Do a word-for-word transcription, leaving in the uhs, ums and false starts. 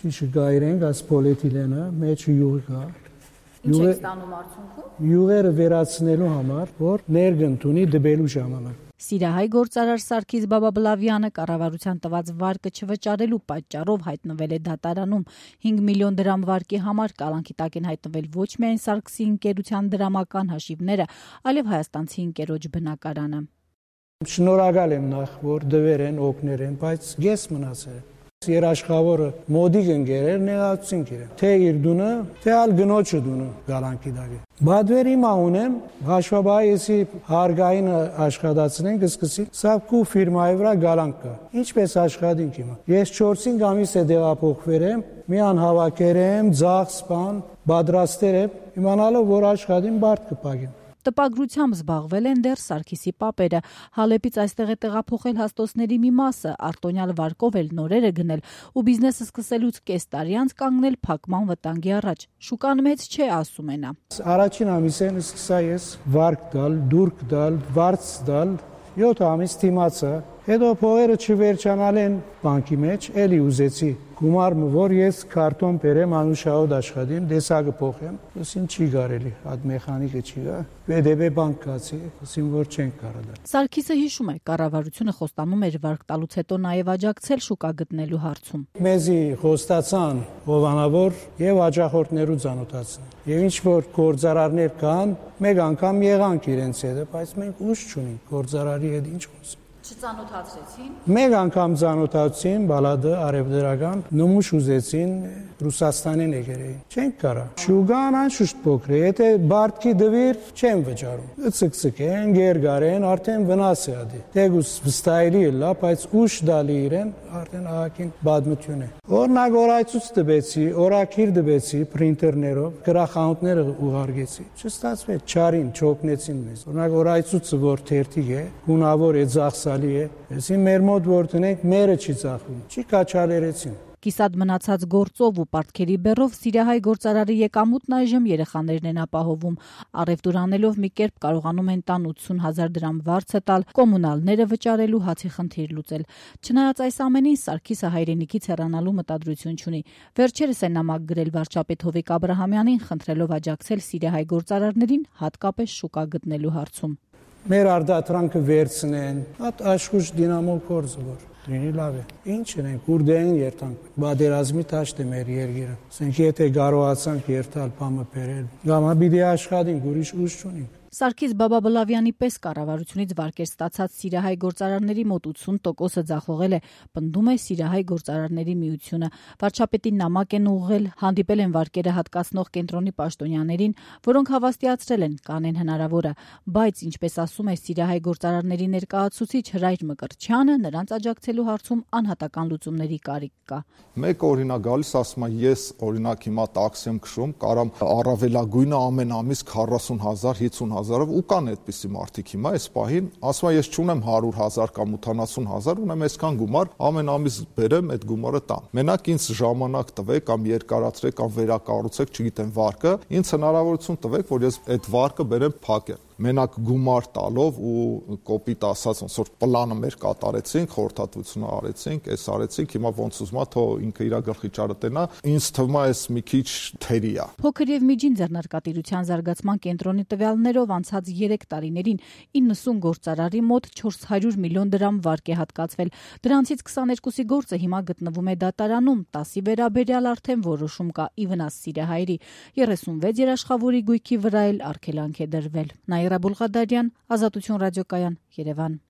Ճիշտ գայրենք այս պոլիէթիլենը, մեջը յուղի կա։ Ինչ եք ստանում արդյունքում։ Յուղերը վերացնելու համար, որ ներգընթունի դբելու ժամանակ։ Սիրահայ գործարար Սարգիս Բաբաբլավյանը կառավարության տված վարկը չվճարելու պատճառով հայտնվել է դատարանում։ հինգ միլիոն դրամ վարկի համար կալանքի տակ են հայտնվել ոչ միայն Սարգսի ընկերության դրամական հաշիվները, այլև հայաստանցի ընկերոջ բնակարանը։ Շնորհակալ եմ նախ, որ դվեր են, օգներ են, բայց ես մնացել եմ։ Երաշխավորը մոդիկ ընկերեր նեղացուցին իրեն։ Թե իր դունը, թե ալ գնոջը դունը գալանքի դագի։ Բադվեր հիմա ունեմ, հաշվաբայի եսի հարգային աշխատացնենք, սկսի սավկու ֆիրմայի վրա գալանք կա։ Ինչպես աշխատենք հիմա։ Ես չորս-հինգ ամիս է դեղափոխվել եմ, մի անհավաքեր եմ, ձախ սպան, բադրաստեր եմ, իմանալով, որ աշխատին բարդ կպագեմ։ Տպագրությամբ զբաղվել են դեռ Սարգիսի պապերը։ Հալեպից այստեղ է տեղափոխել հաստոցների մի մասը, արտոնյալ վարկով էլ նորերը գնել ու բիզնեսը սկսելուց կես տարի անց կանգնել փակման վտանգի առաջ։ Շուկան մեծ չէ, ասում է նա։ Առաջին ամիսեն սկսա ես վարկ տալ, դուրք տալ, վարձ տալ, յոթ ամիս դիմացա, հետո փողերը չվերջանալ են բանկի մեջ, էլի ուզեցի գումարը, որ ես քարտոն բերեմ անուշահոտ աշխատեմ, դեսագը փոխեմ, ասին չի կարելի, այդ մեխանիկը չի գա, ՎԴԲ բանկ կացի, ասին որ չենք կարող դա։ Սարգիսը հիշում է, կառավարությունը խոստանում էր վարկ տալուց հետո նաև աջակցել շուկա գտնելու հարցում։ Մեզի խոստացան հովանավոր եւ աջախորդներու ծանոթացան։ Եվ ինչ որ գործարարներ կան, մեկ անգամ եղանք իրենց հետ, բայց մենք ուժ չունենք գործարարի հետ ինչ խոսենք։ Չծանոթացրեցին։ Մեկ անգամ ծանոթացին, բալադը արևդրական, նմուշ ուզեցին Ռուսաստանին եկերեին։ Չենք կարա։ Շուգան անշուշտ փոքր է, եթե բարտքի դվիր չեն վճարում։ Ցկցկեն, գերգարեն, արդեն վնաս է ադի։ Դեգուս վստահելի է լա, բայց ուշ դալի իրեն, արդեն ահագին բադմություն է։ Օրինակ օրացույց տվեցի, օրակիր տվեցի պրինտերներով, գրախանութները ուղարկեցի։ Չստացվեց, չարին, չօգնեցին մեզ։ Օրինակ օրացույցը որ թերթիկ է, գունավոր է, ծախսալի է, այսին մեր մոտ որ տնենք, մերը չի ծախվում, չի կաչալերեցին։ Կիսատ մնացած գործով ու պարտքերի բեռով Սիրահայ գործարարի եկամուտն այժմ երեխաներն են ապահովում։ Առևտուր անելով մի կերպ կարողանում են տան ութսուն հազար դրամ վարձը տալ, կոմունալները վճարելու, հացի խնդիր լուծել։ Չնայած այս ամենին Սարգիսը հայրենիքից հեռանալու մտադրություն չունի։ Վերջերս է նամակ գրել վարչապետ Հովիկ Աբրահամյանին, խնդրելով աջակցել Սիրահայ գործարարներին, հատկապես շուկա գտնելու հարցում։ Մեր արդատրանքը վերցնեն, հատ աշխուժ դինամո կորձը որ դինի լավ է։ Ինչ ենք, կուրդային երթանք, բادرազմի տաշտ է մեր երգիրը։ Ասենք եթե կարողացանք երթալ բամը բերել, գամա պիտի աշխատենք, ուրիշ ուժ չունենք։ Սարգիս Բաբաբլավյանի պես կառավարությունից վարկեր ստացած Սիրահայ գործարարների մոտ ութսուն տոկոսը ձախողել է, պնդում է Սիրահայ գործարարների միությունը։ Վարչապետին նամակ են ուղղել, հանդիպել են վարկերը հատկացնող կենտրոնի պաշտոնյաներին, որոնք հավաստիացրել են, կանեն հնարավորը, բայց ինչպես ասում է Սիրահայ գործարարների ներկայացուցիչ Հրայր Մկրտչյանը, նրանց աջակցելու հարցում անհատական լուծումների կարիք կա։ Մեկ օրինակ գալիս ասում է ես օրինակ հիմա տաքսի եմ քշում, կարամ առավելագույնը ամեն ամիս քառասուն հազար, հիսուն հազարով ու կան այդպիսի մարդիկ հիմա այս պահին, ասում է ես չունեմ հարյուր հազար կամ ութանասուն հազար, ունեմ այսքան գումար, ամեն ամիս բերեմ այդ գումարը տամ։ Մենակ ինձ ժամանակ տվեք կամ երկարացրեք կամ վերակառուցեք, չգիտեմ վարկը, ինձ հնարավորություն տվեք, որ ես այդ վարկը բերեմ փակեմ։ Մենակ գումար տալով ու կոպիտ ասած ոնց որ պլանը մեր կատարեցինք, խորհրդատվությունը արեցինք, այս արեցինք, հիմա ոնց ուզում է թող ինքը իր գլխի ճարը տենա, ինձ թվում է այս մի քիչ թերի է։ Փոքր եւ միջին ձեռնարկատիրության զարգացման կենտրոնի տվյալներով անցած երեք տարիներին իննսուն գործարարի մոտ չորս հարյուր միլիոն դրամ վարկ է հատկացվել։ Դրանցից քսաներկուսի գործը հիմա գտնվում է դատարանում, տասի վերաբերյալ արդեն որոշում կա ի վնաս Սիրահայերի, երեսունվեց երաշխավորի գույքի վրա էլ արգելանք է դրվել։ Նաիրա Բուլղադարյան, Ազատություն ռադիոկայան, Երևան։